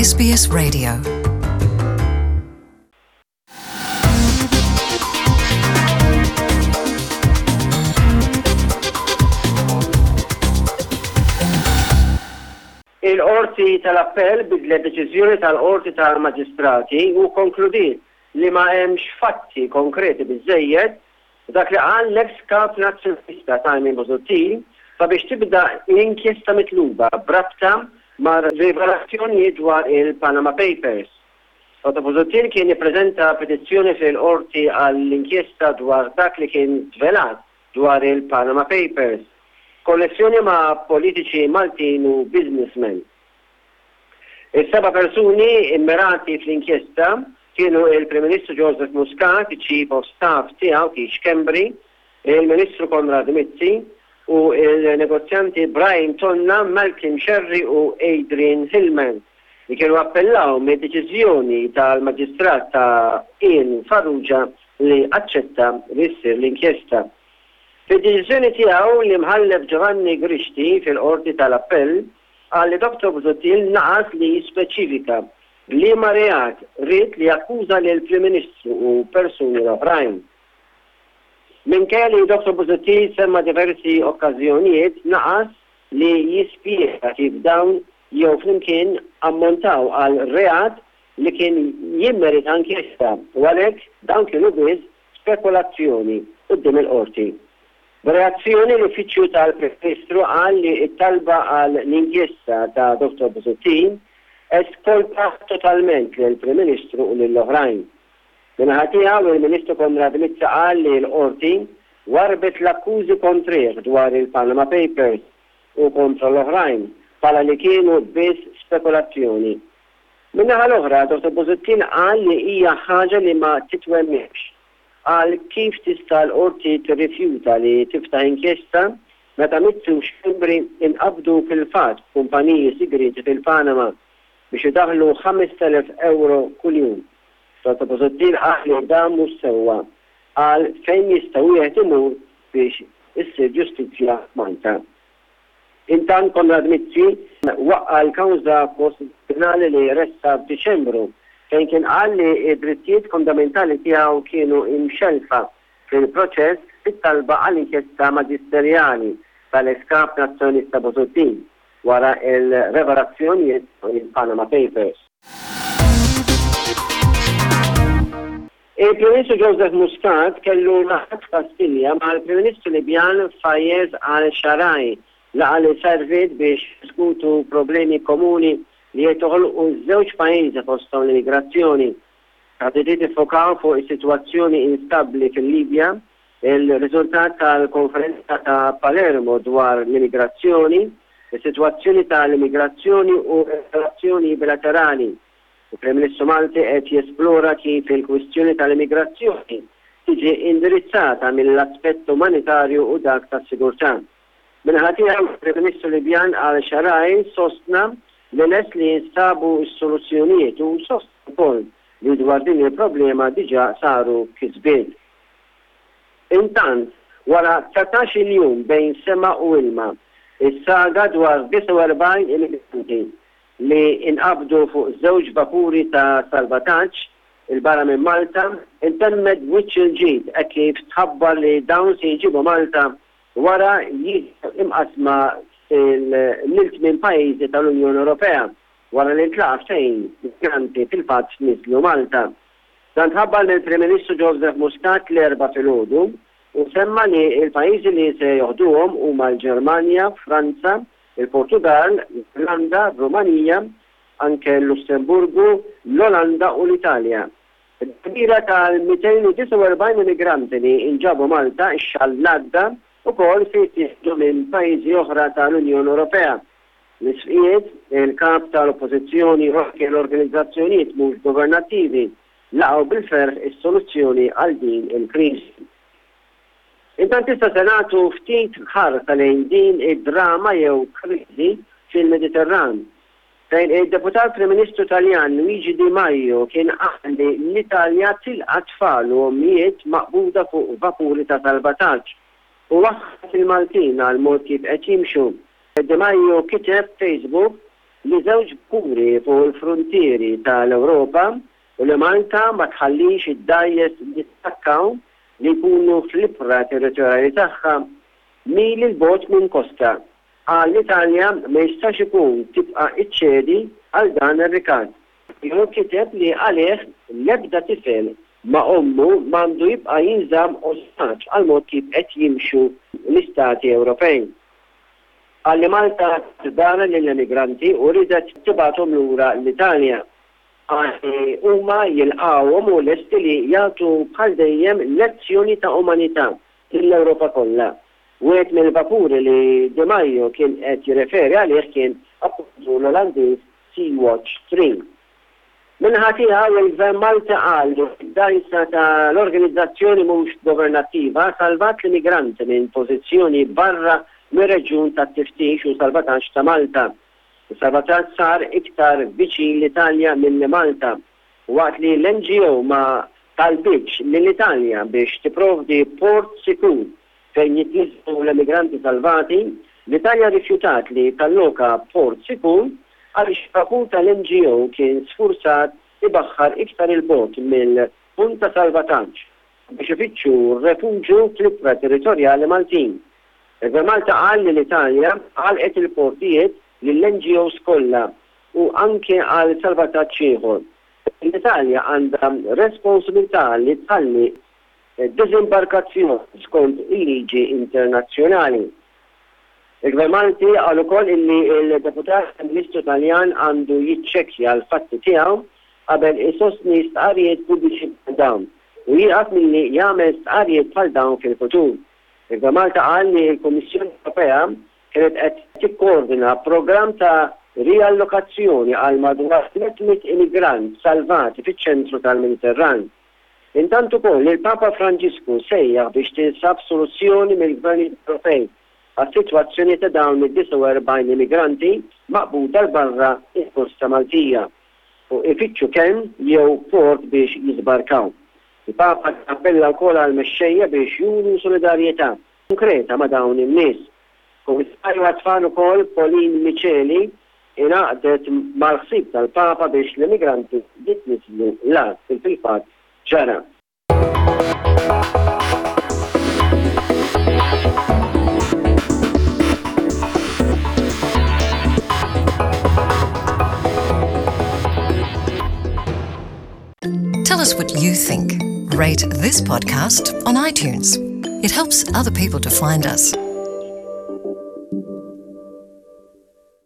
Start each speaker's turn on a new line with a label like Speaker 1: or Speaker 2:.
Speaker 1: SBS Radio.
Speaker 2: Il-Qorti tal-Appell bidlet deċiżjoni tal-Qorti tal-Maġistrati u kkonkludiet li ma hemmx fatti konkreti biżżejjed Dak li qal l-eks Kap Nazzjonalista Simon Busuttil sabiex tibda l-inkjesta mitluba b'rabta ma' rivelazzjonijiet dwar il-Panama Papers. Dottor Busuttil kien ippreżenta petizzjoni fil-Qorti għall-inkjesta dwar dak li kien żvelat dwar il-Panama Papers, b'konnessjoni ma' politiċi Maltin u businessmen. Is-seba' persuni mmirati fl-inkjesta kienu il-Prim Ministru Joseph Muscat, iċ-Chief of Staff tiegħu Keith Schembri, il-Ministru Konrad Mizzi u l-negozjanti Brian Tonna, Malcolm Scerri u Adrian Hillman li kienu appellaw mid-deċiżjoni tal-Maġistrat ta' Ian Farrugia li aċċetta li ssir l-inkjesta. Fid-deċiżjoni tiegħu l-Imħallef Giovanni Grixti fil-Qorti tal-Appell qal li Dottor Busuttil naqas li jispeċifika b'liema reat ried li jakkuża lill-Prim Ministru u persuni l-oħrajn. Minkejja li Dottor Busuttil semma diversi okkażjonijiet naqas li jispjega kif dawn jew flimkien ammontaw għal reat li kien jimmerita inkjesta u għalhekk dawn kienu biss spekulazzjoni quddiem il-Qorti. B'reazzjoni l-Uffiċċju tal-Prim Ministru qal li t-talba għal l-inkjesta ta' Dottor Busuttil eskolpa totalment lill-Prim Ministru u lill-oħrajn. Min-naħa tiegħu il-Ministru Konrad Mizzi qal li l-Qorti warrbet l-akkużi kontrih dwar il-Panama Papers u kontra l-oħrajn bħala li kienu biss spekulazzjoni. Min-naħa l-oħra Dottor Busuttil qal li hija ħaġa li ma titwemminx Qal kif tista' l-Qorti tirrifjuta li tiftaħ inkjesta meta Mizzi u Schembri inqabdu fil-fatt b'kumpaniji sigrieti fil-Panama biex idaħħlu 5,000 ewro kuljum. Dottor Busuttil qal li dan mhux sewwa. Qal fejn jista' wieħed imur biex issir ġustizzja f'Malta. Intant Konrad Mizzi waqqa' l-kawża kostituzzjonali li ressaq f'Diċembru fejn kien qal li d-drittijiet fundamentali tiegħu kienu imxellfa fil-proċess fit-talba għal inkjesta maġisterjali tal-eks Kap Nazzjonalista Busuttil wara l-revelazzjonijiet fuq il-Panama Papers. Il-Prim Ministru Joseph Muscat kellu laqgħa f'Kastilja mal-Prim Ministru Libjan Fayez al-Sharai, laqgħa li serviet biex jiddiskutu problemi komuni li qed joħolqu ż-żewġ pajjiżi fosthom l-immigrazzjoni. Taħditiet iffokaw fuq is-sitwazzjoni instabbli fil-Libja, il-riżultat tal-konferenza ta' Palermo dwar l-immigrazzjoni, is-sitwazzjoni tal-immigrazzjoni u r-relazzjoni bilaterali. Il-Prim Ministru Malti qed jesplora kif il-kwistjoni tal-immigrazzjoni tiġi indirizzata mill-aspett umanitarju u dak tas-sigurtà. Min-naħa tiegħu, il-Prim Ministru Libjan Al-Sharai sostna li lest li jinstabu s-soluzzjonijiet u sostna wkoll li dwar din il-problema diġà saru kisbiet. Intant, wara 19-il jum bejn sema u ilma, is-saga dwar 49 immigranti li inqabdu fuq żewġ vapuri ta' salvataġġ 'il barra minn Malta, intemmet b'wiċċ il-ġid hekk kif tħabbar li dawn se jinġiebu Malta wara jiġu imqassma fil lil tmien pajjiżi tal-Unjoni Ewropea wara li ntlaqa' ftehim migranti fil-fatt niżlu Malta. Dan tħabbar mill-Prim Ministru Joseph Muscat l-Erbgħa filgħodu u semma li l-pajjiżi li se joħduhom huma l-Ġermanja, Franza, il-Portugall, l-Irlanda, r-Rumanija, anke l-Lussemburgu, l-Olanda u l-Italja. Il-kbira tal-249 immigranti li nġabu Malta x-xahar l-għadda wkoll se jittieħdu minn pajjiżi oħra tal-Unjoni Ewropea. L-Isqfijiet, il-Kap tal-Oppożizzjoni u anke l-organizzazzjonijiet mhux governattivi laqgħu bil-ferħ is-soluzzjoni għal din il-kriżi. Intant issa se nagħtu ftit ħarsa lejn din id-drama jew kriżi fil-Mediterran, fejn id-Deputat Prim Ministru Taljan Luigi Di Maio kien qal li l-Italja tilqa' tfal u ommijiet maqbuda fuq vapuri ta' salvataġġ u waħħal fil-Maltin għall-mod kif qed jimxu. Di Maio kiteb f'Facebook. li żewġ vapuri fuq il-fruntieri tal-Ewropa u li Malta ma tħallix id-dgħajjes jittakkaw li jkunu fl-ibħra territorjali tagħha mili 'l bogħod minn kosta. Qal l-Italja ma jistax ikun tibqa' iċċedi għal dan ir-rikatt. Hu kiteb li għalih l-ebda tifel ma' ommu m'għandu jibqa' jinżamm ostaġġ għall-mod kif qed jimxu l-istati Ewropej. Qal li Malta tat darha lill-emigranti u riedet tibgħathom lura l-Italja. Qal li huma jilqgħuhom u lesti li jagħtu bħal dejjem lezzjoni ta' umanità lill-Ewropa kollha. Wieħed mill-vapuri li Di Maio kien qed jirreferi għalih kien appuntu l-Olandiż Sea Watch 3. Min-naħa tiegħu, il-Gvern Malti qal li d-dgħajsa ta' l-organizzazzjoni mhux governattiva salvat l-immigranti minn pożizzjoni barra mir-reġjun tat-tiftix u salvataġġ ta' Malta. Is-salvataġġ sar iktar viċin l-Italja milli Malta, waqt li l-NGO ma talbitx lill-Italja biex tipprovdi port sikur fejn jitniżżlu l-emigranti salvati, l-Italja rrifjutat li talloka port sikur għaliex il-vapur tal-NGO kien sfurzat ibaħħar iktar 'il bogħod mill-punt ta' salvataġġ biex ifittxu refuġju fl-ibħra territorjali Maltin. Il-Gvern Malti qal li l-Italja għalqet il-portijiet lill-NGOs kollha u anke għal salvataġġ ieħor. L-Italja għandha responsabilità li tħalli diżimbarkazzjoni skont il-liġi internazzjonali. Il-Gvern Malti qal ukoll illi l-Deputat Prim Ministru Taljan għandu jiċċekkja l-fatti tiegħu qabel isostni stqarrijiet pubbliċi bħal dawn u jieqaf milli jagħmel stqarrijiet bħal dawn fil-futur. Il-Gvern Malti qal li l-Kummissjoni Ewropea kienet qed tikkoordina programm ta' riallokazzjoni għal madwar 300 immigrant salvati fiċ-ċentru tal-Mediterran. Intant ukoll il-Papa Franġisku sejjaħ biex tinsab soluzzjoni mill-gvernijiet Ewropej għas-sitwazzjoni ta' dawn id-49 immigranti maqbuda 'l barra l-kosta Maltija u ifittxu kenn jew port biex jiżbarkaw. Il-Papa appella wkoll għall-mexxejja biex juru solidarjetà konkreta ma' dawn in-nies. Kummissarju għat-Tfal ukoll Pauline Miceli ingħaqdet mal-ħsieb tal-Papa biex l-immigranti jitniżżlu l-art kif fil-fatt ġara.
Speaker 1: Tell us what you think. Rate this podcast on iTunes. It helps other people to find us.